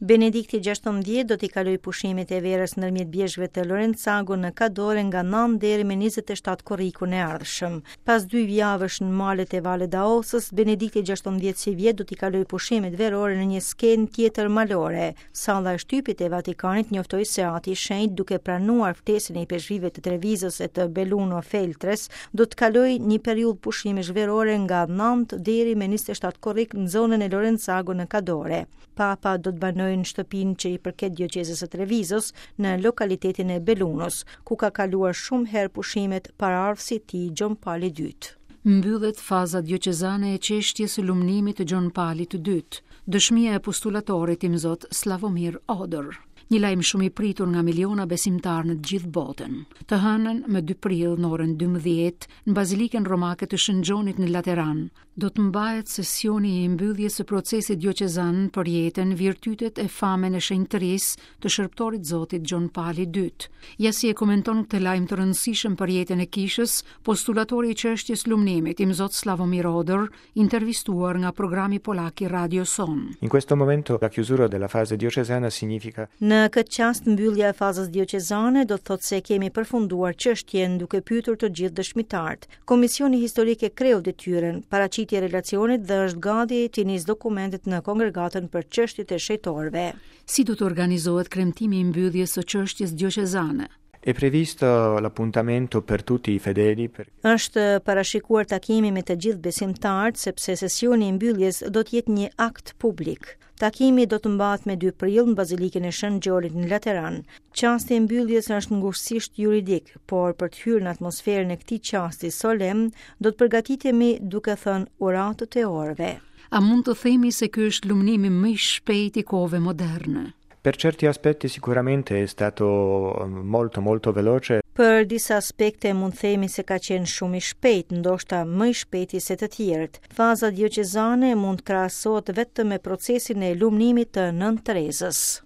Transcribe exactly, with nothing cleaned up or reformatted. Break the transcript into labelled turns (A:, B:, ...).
A: Benedikti gjashtëmbëdhjetë do t'i kalojë pushimet e verës ndërmjet bjeshkëve të Lorenzago në Cadore nga nëntë deri me njëzet e shtatë korrikun e ardhshëm. Pas dy javësh në malet e Valle d'Aostës, Benedikti gjashtëmbëdhjetë sivjet do t'i kalojë pushimet verore në një skenë tjetër malore. Salla e shtypit e Vatikanit njoftoi se Ati i Shenjtë, duke pranuar ftesën e ipeshkvijve të Trevizos e të Belluno Feltres, do të kalojë një periudhë pushimesh verore nga nëntë deri me njëzet e shtatë korrik në zonën e Lorenzago në Cadore. Papa do të banojë në shtëpinë që i përket dioqezës së Trevizos në lokalitetin e Bellunos, ku ka kaluar shumë herë pushimet paraardhësi i tij Gjon Pali i dytë.
B: Mbyllet faza dioqezane e çështjes së lumnimit të Gjon Palit të dytë, dëshmia e postulatorit imzot Slavomir Odor. Një lajm shumë i pritur nga miliona besimtarë në të gjithë botën. Të hënën, më dy prill në orën dymbëdhjetë, në Bazilikën Romake të Shën Gjonit në Lateran, do të mbahet sesioni i mbylljes së procesit dioqezan për jetën, virtytet e famën e shenjtërisë të shërbëtorit Zotit Gjon Pali i dytë. Ja si e komenton këtë lajm të rëndësishëm për jetën e kishës, postulatori i çështjes lumnimit, imzot Slavomir Odor, intervistuar nga programi polak i Radio Son.
C: In questo momento la chiusura della fase diocesana significa
A: Në këtë çast mbyllja e fazës dioqezane do të thotë se kemi përfunduar çështjen duke pyetur të gjithë dëshmitarët. Komisioni historik e kreu detyrën, paraqiti relacionit dhe është gati të nisë dokumentet në kongregatën për çështjet e shenjtorëve.
B: Si do të organizohet kremtimi i mbylljes së çështjes dioqezane?
C: È previsto l'appuntamento per tutti i fedeli per
A: Është parashikuar takimi me të gjithë besimtarët sepse sesioni i mbylljes do të jetë një akt publik. Takimi do të mbahet me dy prill në Bazilikën e Shën Gjolit në Lateran. Çasti i mbylljes është ngushtësisht juridik, por për të hyrë në atmosferën e këtij çasti solemn, do të përgatitemi duke thënë uratët e orëve.
B: A mund të themi se ky është lumnimi më i shpejtë i kohëve moderne?
C: Per certi aspetti sicuramente è stato molto molto veloce.
A: Për disa aspekte mund themi se ka qenë shumë i shpejt, ndoshta më i shpejti se të tjerët. Faza dioqezane mund të krahasohet vetëm me procesin e lumnimit të Nënë Terezës.